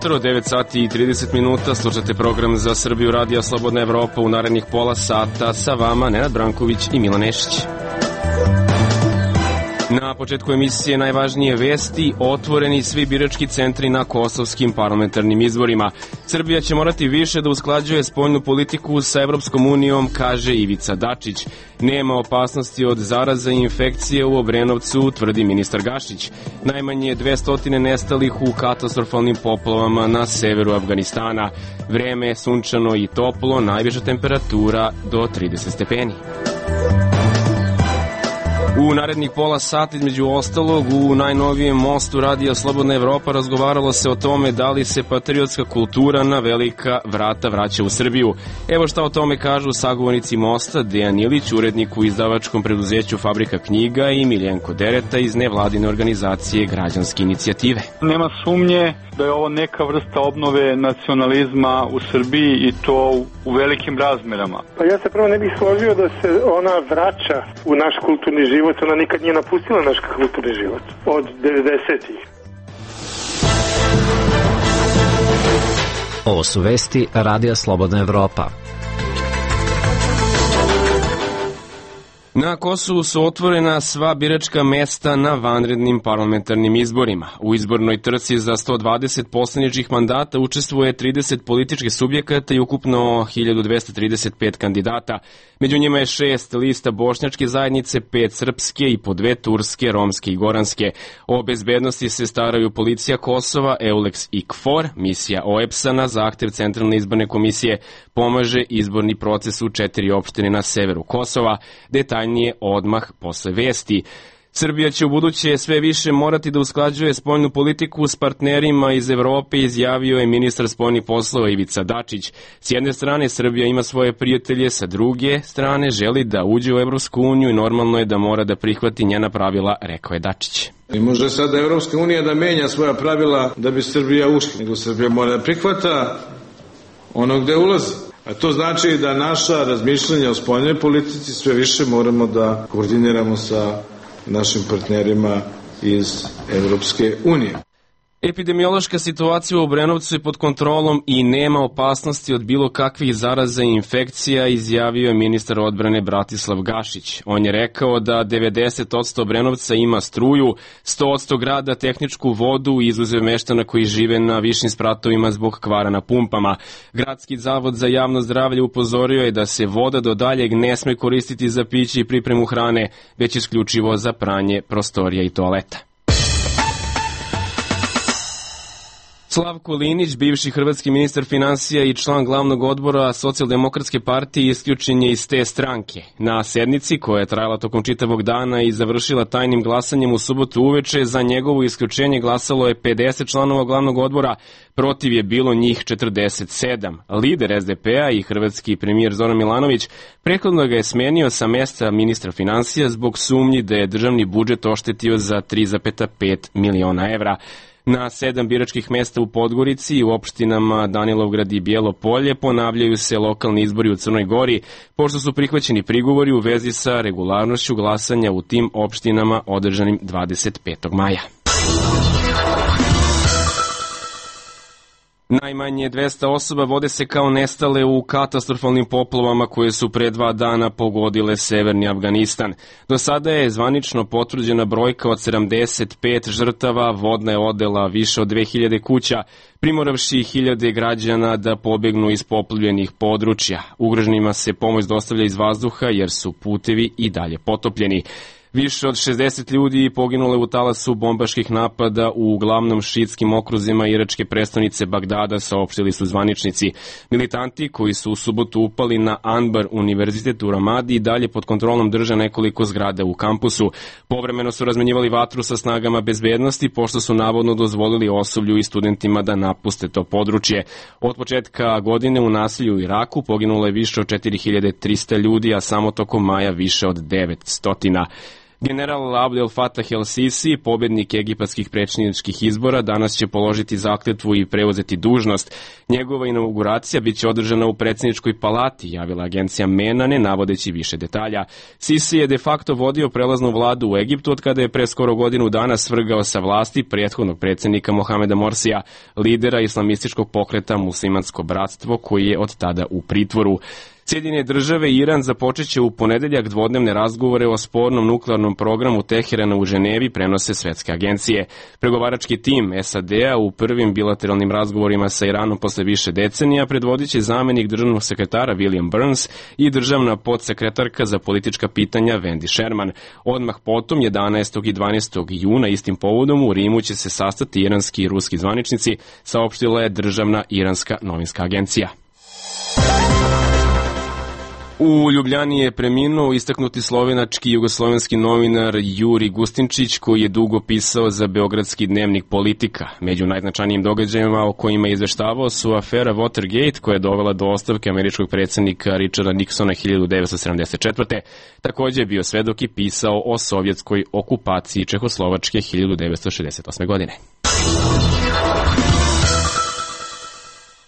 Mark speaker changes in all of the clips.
Speaker 1: Jutro, 9 sati i 30 minuta, slušate program za Srbiju Radija Slobodna Evropa u narednih pola sata, sa vama Nenad Branković i Milan Nešić. Na početku emisije najvažnije vesti: otvoreni svi birački centri na kosovskim parlamentarnim izborima. Srbija će morati više da usklađuje spoljnu politiku sa Evropskom unijom, kaže Ivica Dačić. Nema opasnosti od zaraza i infekcije u Obrenovcu, tvrdi ministar Gašić. Najmanje 200 nestalih u katastrofalnim poplavama na severu Afganistana. Vreme je sunčano i toplo, najviša temperatura do 30 stepeni. U narednih pola sata, između ostalog, u najnovijem mostu Radija Slobodna Evropa razgovaralo se o tome da li se patriotska kultura na velika vrata vraća u Srbiju. Evo šta o tome kažu sagovornici mosta: Dejan Ilić, urednik u izdavačkom preduzeću Fabrika knjiga, i Miljenko Dereta iz nevladine organizacije Građanske inicijative.
Speaker 2: Nema sumnje da je ovo neka vrsta obnove nacionalizma u Srbiji, i to u velikim razmerama.
Speaker 3: Pa ja se prvo ne bih složio da se ona vraća u naš kulturni život. Ona nikad nije napustila naš kulturni život od 90-ih.
Speaker 4: Ovo su vesti Radija Slobodna Evropa.
Speaker 1: Na Kosovu su otvorena sva biračka mesta na vanrednim parlamentarnim izborima. U izbornoj trci za 120 poslaničkih mandata učestvuje 30 političkih subjekata i ukupno 1235 kandidata. Među njima je 6 lista bošnjačke zajednice, 5 srpske i po 2 turske, romske i goranske. O bezbednosti se staraju policija Kosova, EULEX i KFOR. Misija OEBS-a na zahtev Centralne izborne komisije pomaže izborni proces u 4 opštine na severu Kosova. Detaljnije odmah posle vesti. Srbija će u buduće sve više morati da usklađuje spoljnu politiku s partnerima iz Evrope, izjavio je ministar spoljnih poslova Ivica Dačić. S jedne strane Srbija ima svoje prijatelje, sa druge strane želi da uđe u Evropsku uniju i normalno je da mora da prihvati njena pravila, rekao je Dačić.
Speaker 5: I može sada Evropska unija da menja svoja pravila da bi Srbija ušla, nego Srbija mora da prihvata ono gde ulazi. A to znači da naša razmišljanja o spoljnoj politici sve više moramo da koordiniramo sa našim partnerima iz Evropske unije.
Speaker 1: Epidemiološka situacija u Obrenovcu je pod kontrolom i nema opasnosti od bilo kakvih zaraza i infekcija, izjavio je ministar odbrane Bratislav Gašić. On je rekao da 90% Obrenovca ima struju, 100% grada tehničku vodu, izuzev meštana koji žive na višim spratovima zbog kvara na pumpama. Gradski zavod za javno zdravlje upozorio je da se voda do daljeg ne sme koristiti za piće i pripremu hrane, već isključivo za pranje prostorija i toaleta. Slavko Linić, bivši hrvatski ministar finansija i član glavnog odbora Socijaldemokratske partije, isključen je iz te stranke. Na sednici, koja je trajala tokom čitavog dana i završila tajnim glasanjem u subotu uveče, za njegovo isključenje glasalo je 50 članova glavnog odbora, protiv je bilo njih 47. Lider SDP-a i hrvatski premijer Zoran Milanović prethodno ga je smenio sa mesta ministra finansija zbog sumnji da je državni budžet oštetio za 3,5 miliona evra. Na 7 biračkih mesta u Podgorici i u opštinama Danilovgrad i Bijelo Polje ponavljaju se lokalni izbori u Crnoj Gori, pošto su prihvaćeni prigovori u vezi sa regularnošću glasanja u tim opštinama održanim 25. maja. Najmanje 200 osoba vode se kao nestale u katastrofalnim poplavama koje su pre 2 dana pogodile severni Afganistan. Do sada je zvanično potvrđena brojka od 75 žrtava, vodna je odela više od 2000 kuća, primoravši hiljade građana da pobegnu iz poplavljenih područja. Ugroženima se pomoć dostavlja iz vazduha jer su putevi i dalje potopljeni. Više od 60 ljudi poginule u talasu bombaških napada u uglavnom šiitskim okruzima iračke prestonice Bagdada, saopštili su zvaničnici. Militanti koji su u subotu upali na Anbar univerzitet u Ramadi i dalje pod kontrolom drže nekoliko zgrada u kampusu. Povremeno su razmenjivali vatru sa snagama bezbednosti, pošto su navodno dozvolili osoblju i studentima da napuste to područje. Od početka godine u nasilju u Iraku poginulo je više od 4300 ljudi, a samo tokom maja više od 900. General Abdel Fattah el-Sisi, pobednik egipatskih predsjedničkih izbora, danas će položiti zakletvu i preuzeti dužnost. Njegova inauguracija biće održana u predsjedničkoj palati, javila agencija MENA, ne navodeći više detalja. Sisi je de facto vodio prelaznu vladu u Egiptu od kada je pre skoro godinu dana svrgao sa vlasti prethodnog predsjednika Mohameda Morsija, lidera islamističkog pokreta Muslimansko bratstvo, koji je od tada u pritvoru. Sjedinjene države i Iran započeće u ponedeljak dvodnevne razgovore o spornom nuklearnom programu Teherana u Ženevi, prenose svetske agencije. Pregovarački tim SAD-a u prvim bilateralnim razgovorima sa Iranom posle više decenija predvodit će zamenik državnog sekretara William Burns i državna podsekretarka za politička pitanja Wendy Sherman. Odmah potom, 11. i 12. juna, istim povodom u Rimu će se sastati iranski i ruski zvaničnici, saopštila je državna iranska novinska agencija. U Ljubljani je preminuo istaknuti slovenački i jugoslovenski novinar Juri Gustinčić, koji je dugo pisao za beogradski dnevnik Politika. Među najznačajnijim događajima o kojima je izveštavao su afera Watergate, koja je dovela do ostavke američkog predsjednika Richarda Nixona 1974. Također je bio svedok i pisao o sovjetskoj okupaciji Čehoslovačke 1968. godine.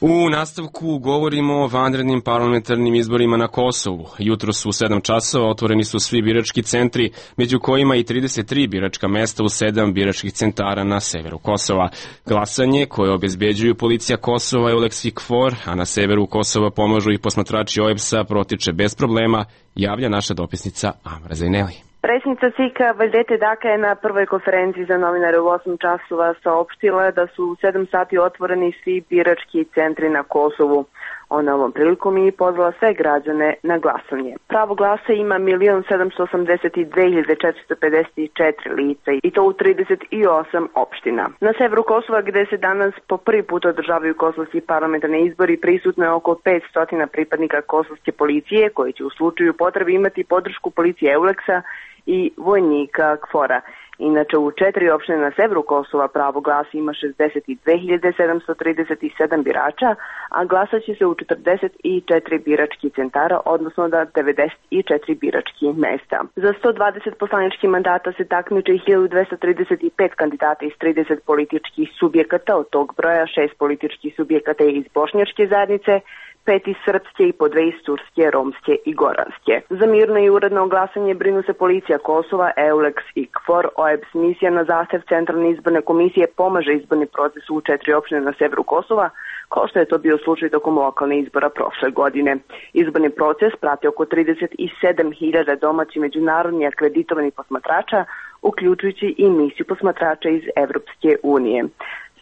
Speaker 1: U nastavku govorimo o vanrednim parlamentarnim izborima na Kosovu. Jutros u 7 časova otvoreni su svi birački centri, među kojima i 33 biračka mesta u 7 biračkih centara na severu Kosova. Glasanje, koje obezbeđuju policija Kosova i EULEX i KFOR, a na severu Kosova pomažu i posmatrači OEBS-a, protiče bez problema, javlja naša dopisnica Amra Zajneli.
Speaker 6: Predsjednica SIK-a Vajdete Daka je na prvoj konferenciji za novinare u 8 časova saopštila da su u 7 sati otvoreni svi birački centri na Kosovu. Ona ovom prilikom i pozvala sve građane na glasanje. Pravo glasa ima 1.782.454 lica i to u 38 opština. Na severu Kosova, gde se danas po prvi put održavaju kosovski parlamentarni izbori, prisutno je oko 500 pripadnika kosovske policije, koji će u slučaju potrebe imati podršku policije EULEX-a i vojnika KFOR-a. Inače, u 4 opštine na severu Kosova pravo glasa ima 62.737 birača, a glasat će se u 44 biračkih centara, odnosno da 94 biračkih mesta. Za 120 poslaničkih mandata se takmiče 1235 kandidata iz 30 političkih subjekata, od tog broja 6 političkih subjekata je iz bošnjačke zajednice, 5 iz srpske i po 2 iz turske, romske i goranske. Za mirno i uredno glasanje brinu se policija Kosova, EULEX i KFOR. OEBS misija na zahtev Centralne izborne komisije pomaže izborni proces u 4 opštine na severu Kosova, kao što je to bio slučaj tokom lokalne izbora prošle godine. Izborni proces prati oko 37.000 domaći međunarodni akreditovani posmatrača, uključujući i misiju posmatrača iz Evropske unije.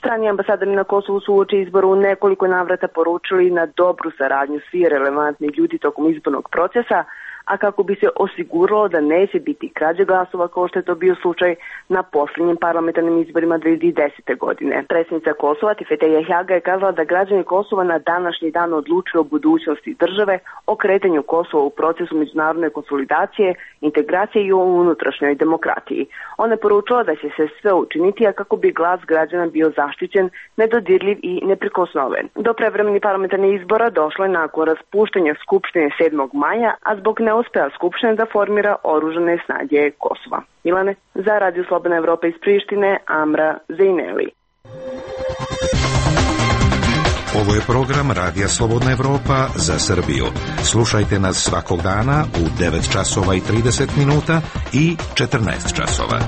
Speaker 6: Strani ambasadori na Kosovu su uoči izbora u nekoliko navrata poručili na dobru saradnju svi relevantni ljudi tokom izbornog procesa, a kako bi se osiguralo da neće biti krađe glasova kao što je to bio slučaj na posljednjim parlamentarnim izborima 2010. godine. Predsjednica Kosova Tifeteja Hjaga je kazala da građani Kosova na današnji dan odlučuju o budućnosti države, o kretanju Kosova u procesu međunarodne konsolidacije, integracije i o unutrašnjoj demokratiji. Ona je poručila da će se sve učiniti, a kako bi glas građana bio zaštićen, nedodirljiv i neprikosnoven. Do prevremenih parlamentarnih izbora došlo je nakon raspuštanja Skupštine 7. maja, a zbog neuspela Skupština da formira oružane snage Kosova. Milane, za Radio Slobodna Evropa iz Prištine, Amra Zajneli.
Speaker 7: Ovo je program Radija Slobodna Evropa za Srbiju. Slušajte nas svakog dana u 9 časova i 30 minuta i 14 časova.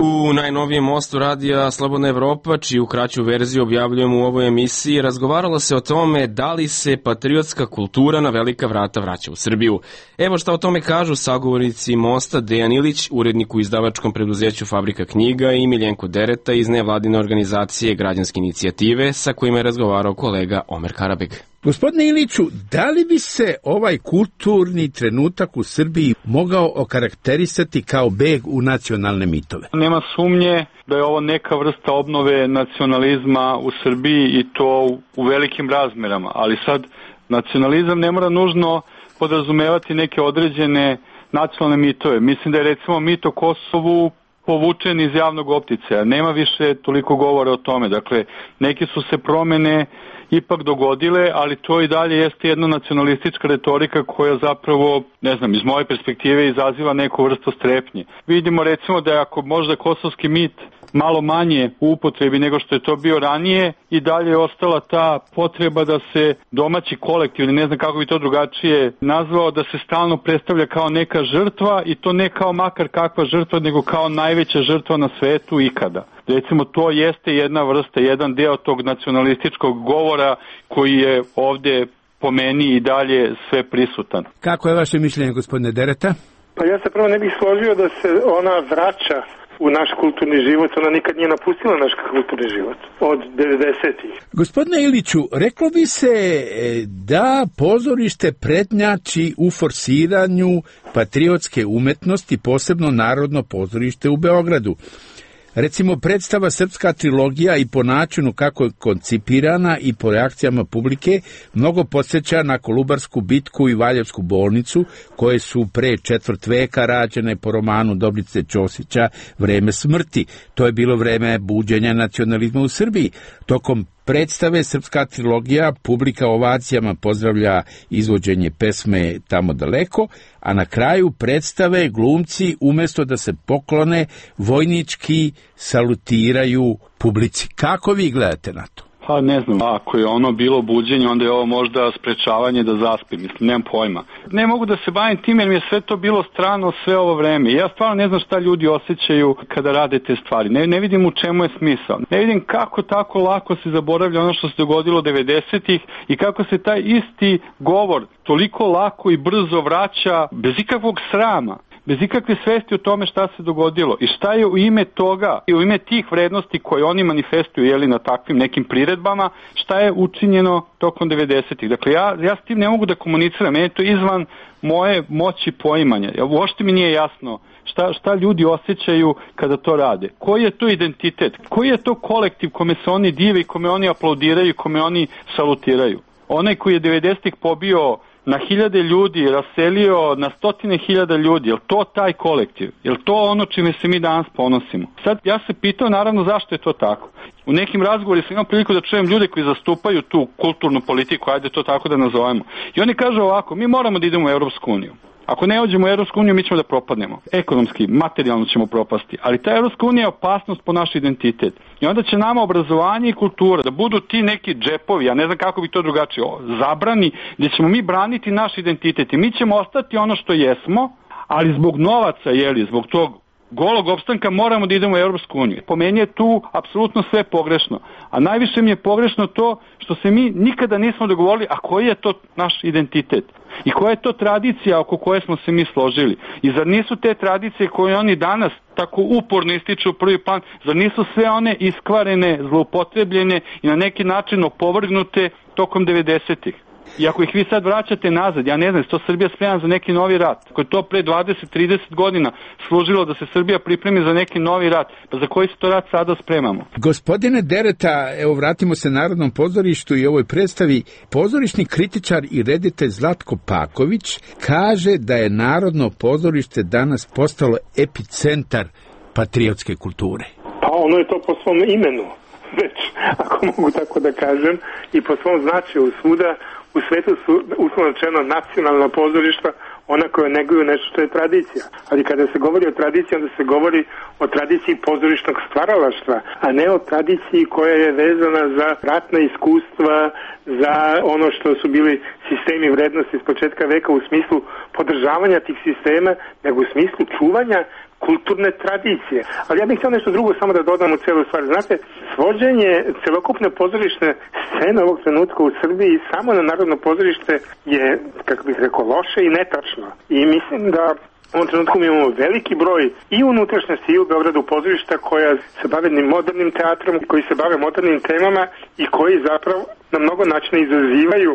Speaker 1: U najnovijem mostu Radija Slobodna Evropa, čiju kraću verziju objavljujemo u ovoj emisiji, razgovaralo se o tome da li se patriotska kultura na velika vrata vraća u Srbiju. Evo šta o tome kažu sagovornici mosta Dejan Ilić, urednik u izdavačkom preduzeću Fabrika knjiga, i Miljenko Dereta iz nevladine organizacije Građanske inicijative, sa kojima je razgovarao kolega Omer Karabeg.
Speaker 8: Gospodine Iliću, da li bi se ovaj kulturni trenutak u Srbiji mogao okarakterisati kao beg u nacionalne mitove?
Speaker 2: Nema sumnje da je ovo neka vrsta obnove nacionalizma u Srbiji i to u velikim razmerama, ali sad nacionalizam ne mora nužno podrazumevati neke određene nacionalne mitove. Mislim da je recimo mit o Kosovu povučen iz javnog opticaja, nema više toliko govora o tome. Dakle, neke su se promene ipak dogodile, ali to i dalje jeste jedna nacionalistička retorika koja zapravo, ne znam, iz moje perspektive izaziva neku vrstu strepnje. Vidimo recimo da ako možda kosovski mit malo manje u upotrebi nego što je to bio ranije, i dalje je ostala ta potreba da se domaći kolektiv, ili ne znam kako bi to drugačije nazvao, da se stalno predstavlja kao neka žrtva, i to ne kao makar kakva žrtva, nego kao najveća žrtva na svetu ikada. Recimo, to jeste jedna vrsta, jedan deo tog nacionalističkog govora koji je ovde po meni i dalje sve prisutan.
Speaker 8: Kako je vaše mišljenje, gospodine Dereta?
Speaker 3: Pa ja se prvo ne bih složio da se ona vraća u naš kulturni život, ona nikad nije napustila naš kulturni život od 90-ih.
Speaker 8: Gospodine Iliću, reklo bi se da pozorište prednjači u forsiranju patriotske umetnosti, posebno Narodno pozorište u Beogradu. Recimo, predstava Srpska trilogija i po načinu kako je koncipirana i po reakcijama publike mnogo podsjeća na Kolubarsku bitku i Valjevsku bolnicu, koje su pre četvrt veka rađene po romanu Dobrice Ćosića Vreme smrti. To je bilo vreme buđenja nacionalizma u Srbiji. Tokom predstave Srpska trilogija publika ovacijama pozdravlja izvođenje pesme Tamo daleko, a na kraju predstave glumci umesto da se poklone vojnički salutiraju publici. Kako vi gledate na to?
Speaker 2: Pa ne znam, ako je ono bilo buđenje, onda je ovo možda sprečavanje da zaspim, mislim, nemam pojma. Ne mogu da se bavim tim jer mi je sve to bilo strano sve ovo vreme. Ja stvarno ne znam šta ljudi osjećaju kada rade te stvari. Ne vidim u čemu je smisao. Ne vidim kako tako lako se zaboravlja ono što se dogodilo 90-ih i kako se taj isti govor toliko lako i brzo vraća bez ikakvog srama, bez ikakve svesti o tome šta se dogodilo i šta je u ime toga i u ime tih vrednosti koje oni manifestuju na takvim nekim priredbama, šta je učinjeno tokom 90-ih. Dakle, ja s tim ne mogu da komuniciram, meni je to izvan moje moći poimanja. Uopšte mi nije jasno šta ljudi osjećaju kada to rade. Koji je to identitet? Koji je to kolektiv kome se oni dive i kome oni aplaudiraju i kome oni salutiraju? Onaj koji je 90-ih pobio na hiljade ljudi, raselio na stotine hiljada ljudi, je li to taj kolektiv? Je li to ono čime se mi danas ponosimo? Sad, ja se pitao naravno zašto je to tako. U nekim razgovorima sam imao priliku da čujem ljude koji zastupaju tu kulturnu politiku, ajde to tako da nazovemo. I oni kažu ovako, mi moramo da idemo u Evropsku uniju. Ako ne uđemo u Evropsku uniju, mi ćemo da propadnemo. Ekonomski, materijalno ćemo propasti. Ali ta Evropska unija je opasnost po naš identitet. I onda će nama obrazovanje i kultura da budu ti neki džepovi, ja ne znam kako bi to drugačije, zabrani, gdje ćemo mi braniti naš identitet. I mi ćemo ostati ono što jesmo, ali zbog novaca, zbog tog golog opstanka moramo da idemo u Evropsku uniju. Po meni je tu apsolutno sve pogrešno. A najviše mi je pogrešno to što se mi nikada nismo dogovorili, a koji je to naš identitet? I koja je to tradicija oko koje smo se mi složili? I zar nisu te tradicije koje oni danas tako uporno ističu u prvi plan, zar nisu sve one iskvarene, zloupotrebljene i na neki način opovrgnute tokom 90-ih? I ako ih vi sad vraćate nazad, ja ne znam, to Srbija spremna za neki novi rat. Ako je to pre 20-30 godina služilo da se Srbija pripremi za neki novi rat, pa za koji se to rat sada spremamo?
Speaker 8: Gospodine Dereta, evo vratimo se Narodnom pozorištu i ovoj predstavi. Pozorišni kritičar i reditelj Zlatko Paković kaže da je Narodno pozorište danas postalo epicentar patriotske kulture.
Speaker 3: Pa ono je to po svom imenu, već, ako mogu tako da kažem, i po svom značaju svuda. U svetu su, uslovno rečeno, nacionalna pozorišta, ona koja neguju nešto što je tradicija. Ali kada se govori o tradiciji, onda se govori o tradiciji pozorišnog stvaralaštva, a ne o tradiciji koja je vezana za ratna iskustva, za ono što su bili sistemi vrednosti s početka veka u smislu podržavanja tih sistema, nego u smislu čuvanja kulturne tradicije. Ali ja bih htio nešto drugo samo da dodam u celu stvar. Znate, svođenje celokupne pozorišne scene ovog trenutka u Srbiji samo na Narodno pozorište je, kako bih rekao, loše i netačno. I mislim da u ovom trenutku mi imamo veliki broj i unutrašnjosti i u Beogradu pozorišta koja se bave modernim teatrom, koji se bave modernim temama i koji zapravo na mnogo načina izazivaju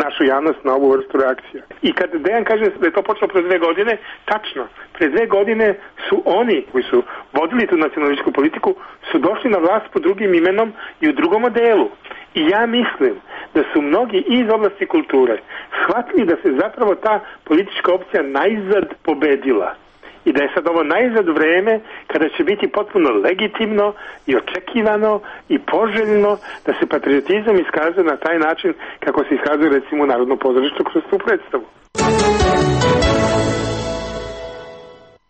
Speaker 3: našu javnost na ovu vrstu reakcija. I kad Dejan kaže da je to počelo pre 2 godine, tačno, pre 2 godine su oni koji su vodili tu nacionalističku politiku su došli na vlast pod drugim imenom i u drugom modelu. I ja mislim da su mnogi iz oblasti kulture shvatili da se zapravo ta politička opcija najzad pobedila. I i da je sad ovo najzad vreme kada će biti potpuno legitimno i očekivano i poželjno da se patriotizam iskazuje na taj način kako se iskazuje recimo u Narodnom pozorištu kroz tu predstavu.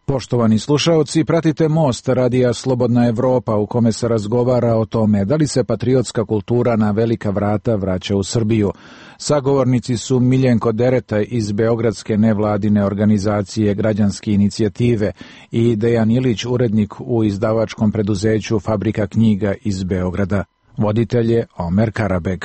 Speaker 9: Poštovani slušaoci, pratite Most Radija Slobodna Evropa u kome se razgovara o tome da li se patriotska kultura na velika vrata vraća u Srbiju. Sagovornici su Miljenko Dereta iz Beogradske nevladine organizacije Građanske inicijative i Dejan Ilić, urednik u izdavačkom preduzeću Fabrika knjiga iz Beograda. Voditelj je Omer Karabeg.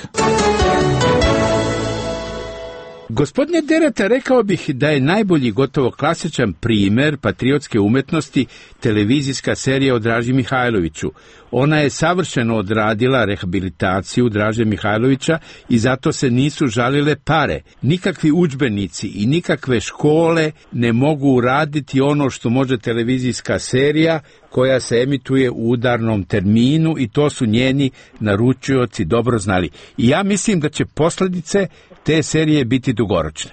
Speaker 8: Gospodine Dereta, rekao bih da je najbolji, gotovo klasičan primer patriotske umetnosti televizijska serija o Draži Mihajloviću. Ona je savršeno odradila rehabilitaciju Draže Mihajlovića i zato se nisu žalile pare. Nikakvi udžbenici i nikakve škole ne mogu uraditi ono što može televizijska serija koja se emituje u udarnom terminu i to su njeni naručioci dobro znali. I ja mislim da će posljedice te serije biti dugoročne.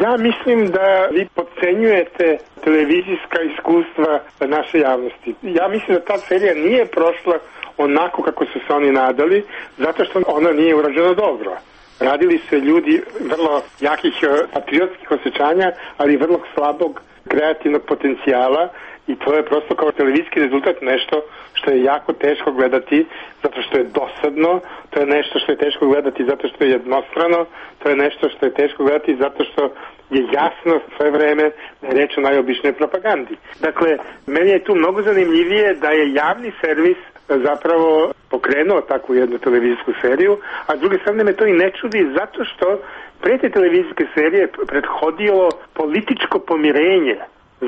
Speaker 3: Ja mislim da vi podcenjujete televizijska iskustva naše javnosti. Ja mislim da ta serija nije prošla onako kako su se oni nadali, zato što ona nije urađena dobro. Radili se ljudi vrlo jakih patriotskih osjećanja, ali vrlo slabog kreativnog potencijala i to je prosto kao televizijski rezultat nešto što je jako teško gledati zato što je dosadno, to je nešto što je teško gledati zato što je jednostrano, to je nešto što je teško gledati zato što je jasno sve vreme da je reč o najobičnoj propagandi. Dakle, meni je tu mnogo zanimljivije da je javni servis zapravo pokrenuo takvu jednu televizijsku seriju, a s druge strane me to i ne čudi zato što pre te televizijske serije prethodilo političko pomirenje,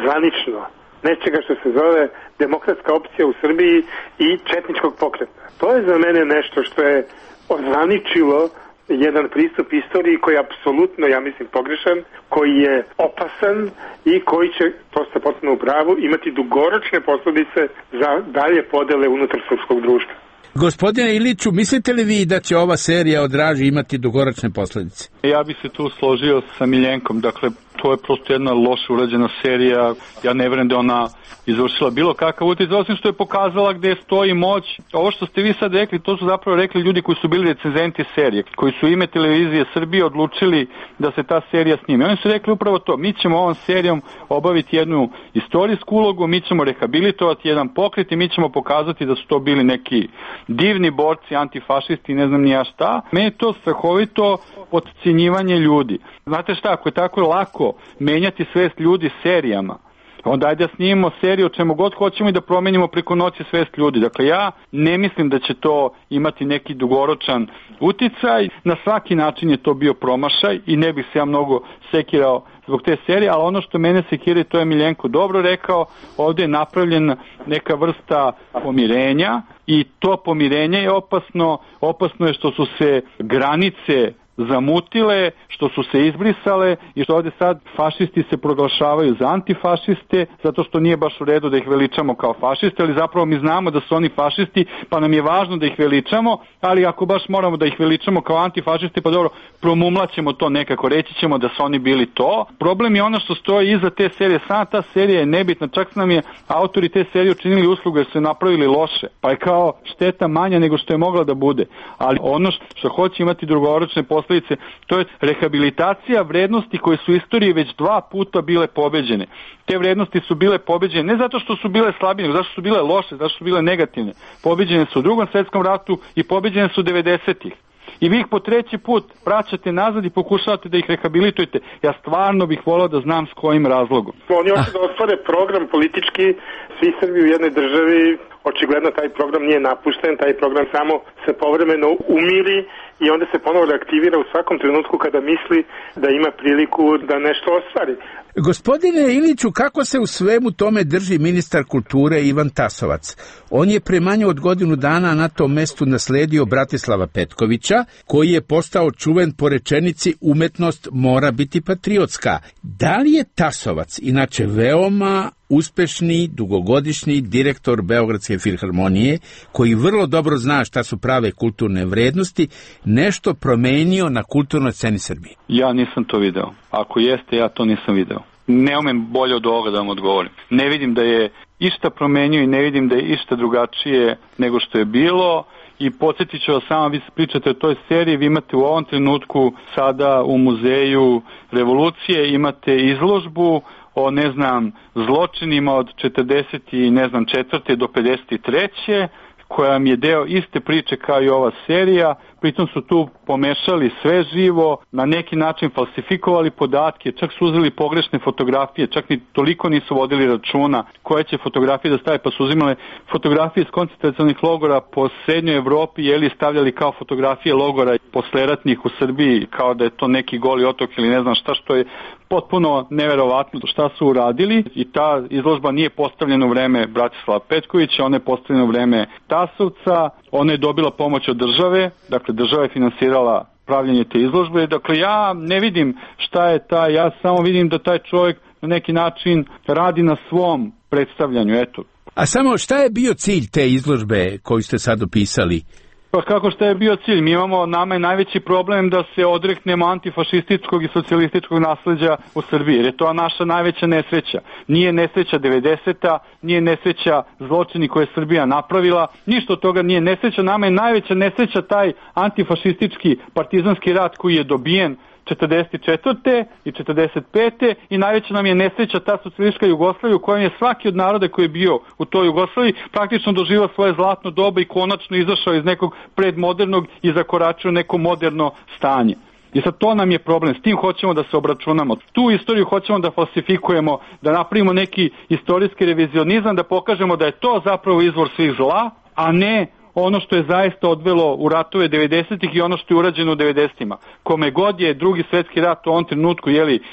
Speaker 3: zvanično, nečega što se zove demokratska opcija u Srbiji i četničkog pokreta. To je za mene nešto što je ozvaničilo jedan pristup istoriji koji je apsolutno, ja mislim, pogrešan, koji je opasan i koji će, to ste potpuno u pravu, imati dugoročne posljedice za dalje podele unutar srpskog društva.
Speaker 8: Gospodine Iliću, mislite li vi da će ova serija o Draži imati dugoročne posljedice?
Speaker 2: Ja bih se tu složio sa Miljenkom, dakle, to je prosto jedna loše urađena serija, ja ne vjerujem da ona izvršila bilo kakav utjecaj, osim što je pokazala gdje stoji moć. Ovo što ste vi sad rekli, to su zapravo rekli ljudi koji su bili recenzenti serije, koji su ime televizije Srbije odlučili da se ta serija snime. Oni su rekli upravo to, mi ćemo ovom serijom obaviti jednu istorijsku ulogu, mi ćemo rehabilitovati jedan pokret i mi ćemo pokazati da su to bili neki divni borci, antifašisti, ne znam ni ja šta. Meni je to strahovito podcjenjivanje ljudi. Znate šta, ako je tako lako menjati svest ljudi serijama, onda ajde da snimimo seriju o čemu god hoćemo i da promenimo preko noći svest ljudi. Dakle, ja ne mislim da će to imati neki dugoročan uticaj. Na svaki način je to bio promašaj i ne bih se ja mnogo sekirao zbog te serije, ali ono što mene sekira, to je Miljenko dobro rekao, ovdje je napravljena neka vrsta pomirenja i to pomirenje je opasno. Opasno je što su se granice zamutile, što su se izbrisale i što ovdje sad fašisti se proglašavaju za antifašiste, zato što nije baš u redu da ih veličamo kao fašiste, ali zapravo mi znamo da su oni fašisti, pa nam je važno da ih veličamo, ali ako baš moramo da ih veličamo kao antifašiste, pa dobro, promumlaćemo to nekako, reći ćemo da su oni bili to. Problem je ono što stoji iza te serije, sama ta serija je nebitna, čak nam je autori te serije učinili uslugu jer su napravili loše, pa je kao šteta manja nego što je mogla da bude, ali ono što hoće imati dugoročne posljedice, to je rehabilitacija vrednosti koje su u istoriji već 2 puta bile pobeđene. Te vrednosti su bile pobeđene ne zato što su bile slabije, nego zato što su bile loše, zato što su bile negativne. Pobeđene su u Drugom svjetskom ratu i pobeđene su 90-ih. I vi ih po 3. put vraćate nazad i pokušavate da ih rehabilitujete. Ja stvarno bih volao da znam s kojim razlogom.
Speaker 3: Oni hoće da ostvare program politički, svi Srbi u jednoj državi, očigledno taj program nije napušten, taj program samo se povremeno umiri i onda se ponovo reaktivira u svakom trenutku kada misli da ima priliku da nešto ostvari.
Speaker 8: Gospodine Iliću, kako se u svemu tome drži ministar kulture Ivan Tasovac? On je pre manje od godinu dana na tom mestu nasledio Bratislava Petkovića, koji je postao čuven po rečenici umetnost mora biti patriotska. Da li je Tasovac, inače veoma uspešni, dugogodišnji direktor Beogradske filharmonije, koji vrlo dobro zna šta su prave kulturne vrednosti, nešto promenio na kulturnoj sceni Srbije?
Speaker 2: Ja nisam to video. Ako jeste, ja to nisam video. ne umem bolje od ovoga da vam odgovorim. Ne vidim da je išta promenio i ne vidim da je išta drugačije nego što je bilo. I podsjetit ću vas samo, vi pričate o toj seriji, vi imate u ovom trenutku sada u Muzeju Revolucije, imate izložbu o, zločinima od 44. do 53. koja vam je deo iste priče kao i ova serija. Pritom su tu pomešali sve živo, na neki način falsifikovali podatke, čak su uzeli pogrešne fotografije, čak ni toliko nisu vodili računa koje će fotografije da stave, pa su uzimale fotografije iz koncentracionih logora po srednjoj Evropi, stavljali kao fotografije logora posleratnih u Srbiji, kao da je to neki Goli otok ili ne znam šta, što je potpuno neverovatno šta su uradili. I ta izložba nije postavljena u vreme Bratislava Petkovića, ona je postavljena u vreme Tasovca, ona je dobila pomoć od države, dakle država je finansirala pravljenje te izložbe. Dakle, ja ne vidim šta je ja samo vidim da taj čovjek na neki način radi na svom predstavljanju, eto.
Speaker 8: A samo šta je bio cilj te izložbe koju ste sad opisali?
Speaker 2: Pa kako šta je bio cilj? Nama je najveći problem da se odreknemo antifašističkog i socijalističkog nasleđa u Srbiji, jer je to naša najveća nesreća. Nije nesreća 90-a, nije nesreća zločini koje je Srbija napravila, ništa od toga nije nesreća. Nama je najveća nesreća taj antifašistički partizanski rat koji je dobijen 44. i 45. i najveća nam je nesreća ta socijalistička Jugoslavija u kojoj je svaki od naroda koji je bio u toj Jugoslaviji praktično doživao svoje zlatno doba i konačno izašao iz nekog predmodernog i zakoračio neko moderno stanje. I sad to nam je problem, s tim hoćemo da se obračunamo. Tu istoriju hoćemo da falsifikujemo, da napravimo neki istorijski revizionizam, da pokažemo da je to zapravo izvor svih zla, a ne ono što je zaista odvelo u ratove 90-ih i ono što je urađeno u 90-ima. Kome god je drugi svetski rat u ovom trenutku,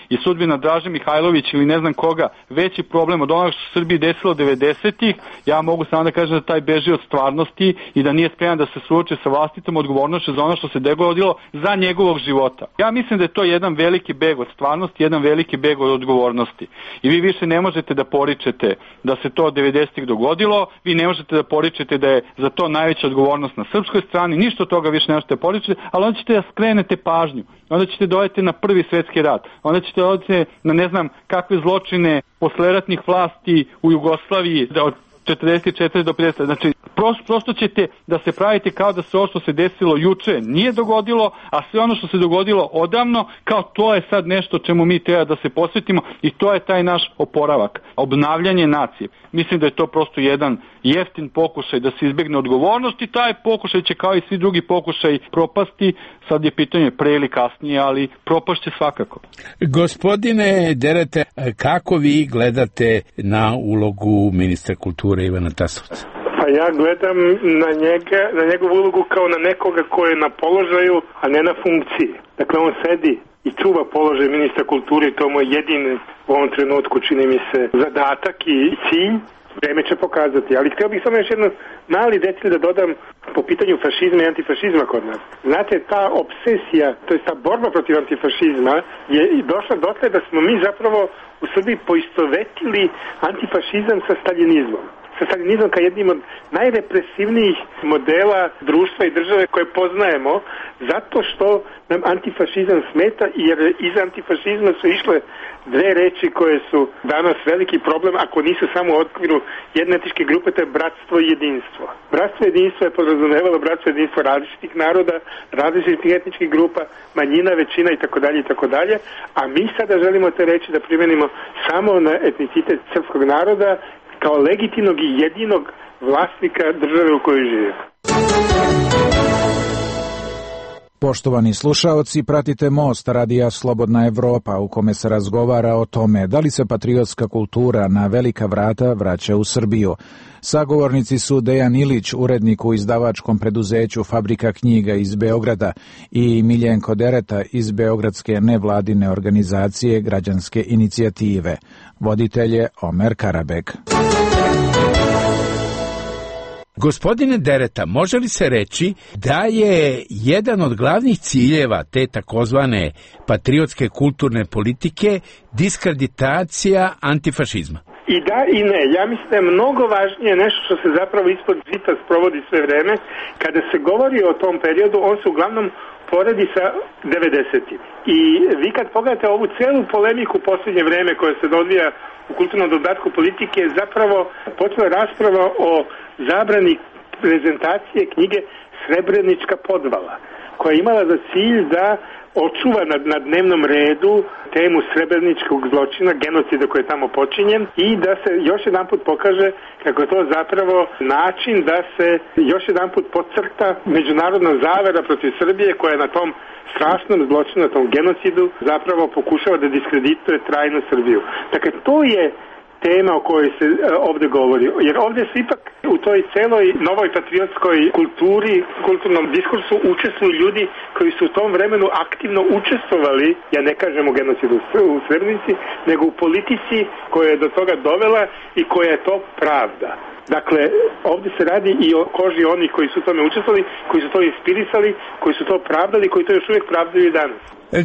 Speaker 2: i sudbina Draže Mihajlović ili ne znam koga, veći problem od onoga što se Srbiji desilo 90-ih, ja mogu samo da kažem da taj beži od stvarnosti i da nije spreman da se suoči sa vlastitom odgovornošću za ono što se dogodilo za njegovog života. Ja mislim da je to jedan veliki beg od stvarnosti, jedan veliki beg od odgovornosti. I vi više ne možete da poričete da se to 90-ih dogodilo, vi ne možete da poričete da je za to najveća odgovornost na srpskoj strani, ništa od toga više ne možete poričiti, ali onda ćete da skrenete pažnju, onda ćete dodati na prvi svetski rat, onda ćete dodati na ne znam kakve zločine posleratnih vlasti u Jugoslaviji od 44 do 50, znači prosto ćete da se pravite kao da se ovo što se desilo juče nije dogodilo, a sve ono što se dogodilo odavno, kao to je sad nešto čemu mi treba da se posvetimo i to je taj naš oporavak, obnavljanje nacije. Mislim da je to prosto jedan jeftin pokušaj da se izbegne odgovornost i taj pokušaj će kao i svi drugi pokušaj propasti, sad je pitanje pre ili kasnije, ali propašće svakako.
Speaker 8: Gospodine Derete, kako vi gledate na ulogu ministra kulture Ivana Tasovca?
Speaker 3: Pa ja gledam na njegovu ulogu kao na nekoga ko je na položaju, a ne na funkciji. Dakle, on sedi i čuva položaj ministra kulture i to mu je jedini u ovom trenutku, čini mi se, zadatak i cilj. Vreme će pokazati, ali htio bih samo još jedan mali detalj da dodam po pitanju fašizma i antifašizma kod nas. Znate, ta obsesija, to je ta borba protiv antifašizma je došla dotle da smo mi zapravo u Srbiji poistovetili antifašizam sa staljinizmom. Sa staljinizmom kao jednim od najrepresivnijih modela društva i države koje poznajemo, zato što nam antifašizam smeta, jer iz antifašizma su išle dve reči koje su danas veliki problem, ako nisu samo u okviru jedne etničke grupe, to je bratstvo i jedinstvo. Bratstvo i jedinstvo je podrazumevalo bratstvo i jedinstvo različitih naroda, različitih etničkih grupa, manjina, većina itd. A mi sada želimo te reči da primenimo samo na etnicitet srpskog naroda kao legitimnog i jedinog vlasnika države u kojoj živimo.
Speaker 9: Poštovani slušaoci, pratite Most Radija Slobodna Evropa u kome se razgovara o tome da li se patriotska kultura na velika vrata vraća u Srbiju. Sagovornici su Dejan Ilić, urednik u izdavačkom preduzeću Fabrika knjiga iz Beograda, i Miljenko Dereta iz beogradske nevladine organizacije Građanske inicijative. Voditelj je Omer Karabek.
Speaker 8: Gospodine Dereta, može li se reći da je jedan od glavnih ciljeva te takozvane patriotske kulturne politike diskreditacija antifašizma?
Speaker 3: I da i ne. Ja mislim da je mnogo važnije nešto što se zapravo ispod žita sprovodi sve vreme. Kada se govori o tom periodu, on se uglavnom poredi sa 90-im. I vi kad pogledate ovu celu polemiku u posljednje vreme koja se odvija u kulturnom dodatku politike, je zapravo počela rasprava o zabrani prezentacije knjige Srebrenička podvala, koja je imala za cilj da očuva na dnevnom redu temu srebreničkog zločina, genocida koji je tamo počinjen i da se još jedan put pokaže kako je to zapravo način da se još jedan put podcrta međunarodna zavera protiv Srbije koja je na tom strašnom zločinu, na tom genocidu zapravo pokušava da diskredituje trajno Srbiju. Dakle, to je tema o kojoj se ovde govori. Jer ovde se ipak u toj celoj novoj patriotskoj kulturi, kulturnom diskursu učestvuju ljudi koji su u tom vremenu aktivno učestvovali, ja ne kažem u genocidu u Srebrenici, nego u politici koja je do toga dovela i koja je to pravda. Dakle, ovde se radi i o koži onih koji su u tome učestvovali, koji su to inspirisali, koji su to pravdali, koji to još uvijek pravdaju i danas.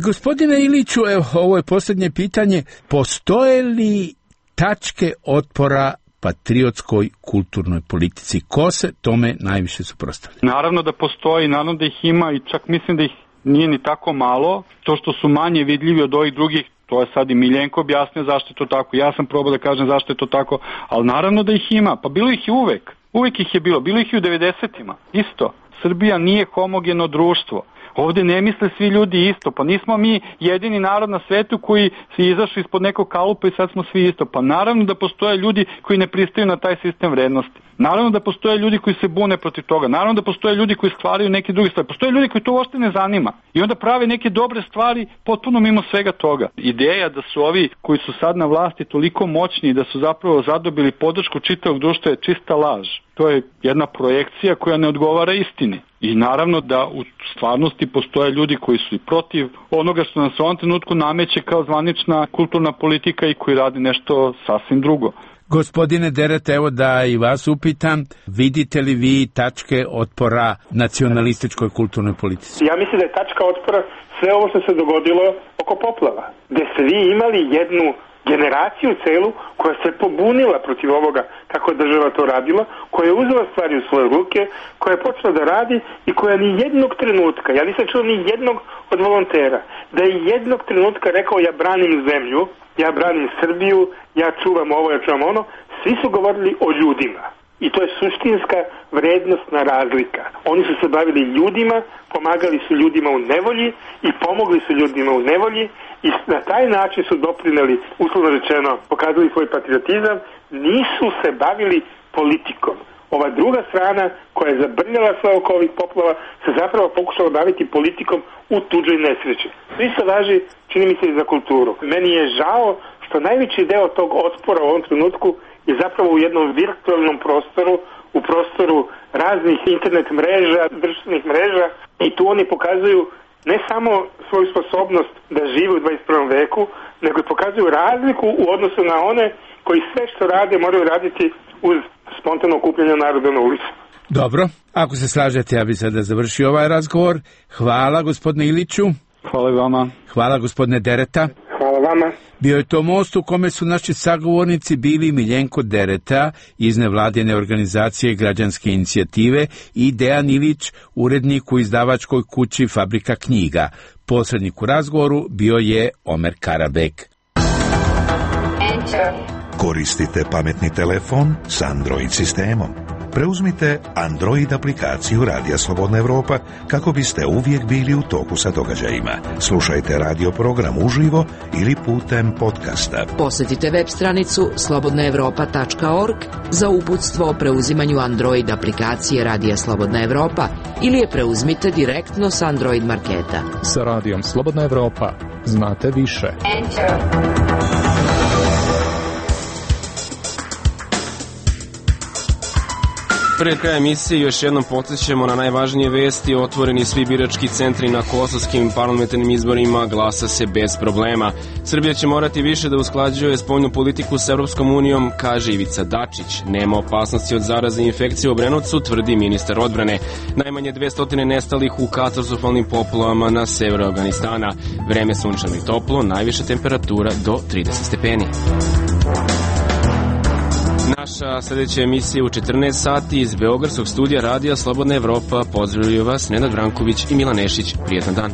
Speaker 8: Gospodine Iliću, evo, ovo je posljednje pitanje. Postoje li tačke otpora patriotskoj kulturnoj politici? Ko se tome najviše suprotstavlja?
Speaker 2: Naravno da postoji, naravno da ih ima i čak mislim da ih nije ni tako malo. To što su manje vidljivi od ovih drugih, to je sad i Miljenko objasnio zašto je to tako. Ja sam probao da kažem zašto je to tako, ali naravno da ih ima. Pa bilo ih i uvek. Uvek ih je bilo. Bilo ih i u 90-ima. Isto. Srbija nije homogeno društvo. Ovde ne misle svi ljudi isto, pa nismo mi jedini narod na svetu koji se izašli ispod nekog kalupa i sad smo svi isto. Pa naravno da postoje ljudi koji ne pristaju na taj sistem vrednosti. Naravno da postoje ljudi koji se bune protiv toga. Naravno da postoje ljudi koji stvaraju neke druge stvari. Postoje ljudi koji to uopšte ne zanima. I onda prave neke dobre stvari potpuno mimo svega toga. Ideja da su ovi koji su sad na vlasti toliko moćni i da su zapravo zadobili podršku čitavog društva je čista laž. To je jedna projekcija koja ne odgovara istini. I naravno da u stvarnosti postoje ljudi koji su i protiv onoga što nas u ovom trenutku nameće kao zvanična kulturna politika i koji radi nešto sasvim drugo.
Speaker 8: Gospodine Dereta, evo da i vas upitam, vidite li vi tačke otpora nacionalističkoj kulturnoj politici?
Speaker 3: Ja mislim da je tačka otpora sve ovo što se dogodilo oko poplava, gde ste vi imali jednu generaciju celu koja se pobunila protiv ovoga kako je država to radila, koja je uzela stvari u svoje ruke, koja je počela da radi i koja ni jednog trenutka, ja nisam čuo ni jednog od volontera, da je jednog trenutka rekao ja branim zemlju, ja branim Srbiju, ja čuvam ovo, ja čuvam ono. Svi su govorili o ljudima. I to je suštinska vrednostna razlika. Oni su se bavili ljudima, pomagali su ljudima u nevolji i pomogli su ljudima u nevolji i na taj način su doprineli, uslovno rečeno, pokazali svoj patriotizam, nisu se bavili politikom. Ova druga strana koja je zabrnjala sve oko ovih poplava se zapravo pokušala baviti politikom u tuđoj nesreći. Isto važi, čini mi se, i za kulturu. Meni je žao što najveći deo tog otpora u ovom trenutku je zapravo u jednom virtualnom prostoru, u prostoru raznih internet mreža, društvenih mreža i tu oni pokazuju ne samo svoju sposobnost da žive u 21. veku, nego i pokazuju razliku u odnosu na one koji sve što rade moraju raditi uz spontano okupljanje naroda na ulici.
Speaker 8: Dobro, ako se slažete, ja bih sada završio ovaj razgovor. Hvala gospodine Iliću.
Speaker 2: Hvala vama.
Speaker 8: Hvala gospodine Dereta.
Speaker 3: Hvala vama.
Speaker 8: Bio je to most u kome su naši sagovornici bili Miljenko Dereta iz nevladine organizacije Građanske inicijative i Dejan Ilić, urednik u izdavačkoj kući Fabrika knjiga. Posrednik u razgovoru bio je Omer Karabek.
Speaker 7: Koristite pametni telefon s Android sistemom. Preuzmite Android aplikaciju Radija Slobodna Evropa kako biste uvijek bili u toku sa događajima. Slušajte radio program uživo ili putem podcasta.
Speaker 10: Posjetite web stranicu slobodnaevropa.org za uputstvo o preuzimanju Android aplikacije Radija Slobodna Evropa ili je preuzmite direktno s Android marketa.
Speaker 11: Sa Radijom Slobodna Evropa znate više.
Speaker 1: Pred krajem emisije još jednom podsjećamo na najvažnije vesti. Otvoreni svi birački centri na kosovskim parlamentarnim izborima, glasa se bez problema. Srbija će morati više da usklađuje spoljnu politiku s Evropskom unijom, kaže Ivica Dačić. Nema opasnosti od zaraze i infekcije u Obrenovcu, tvrdi ministar odbrane. Najmanje 200 nestalih u katastrofalnim poplavama na severu Afganistana. Vreme sunčano i toplo, najviša temperatura do 30 stepeni. Naša sljedeća emisija u 14 sati iz Beogradskog studija Radija Slobodna Evropa. Pozdravljaju vas Nenad Branković i Milan Nešić. Prijetan dan.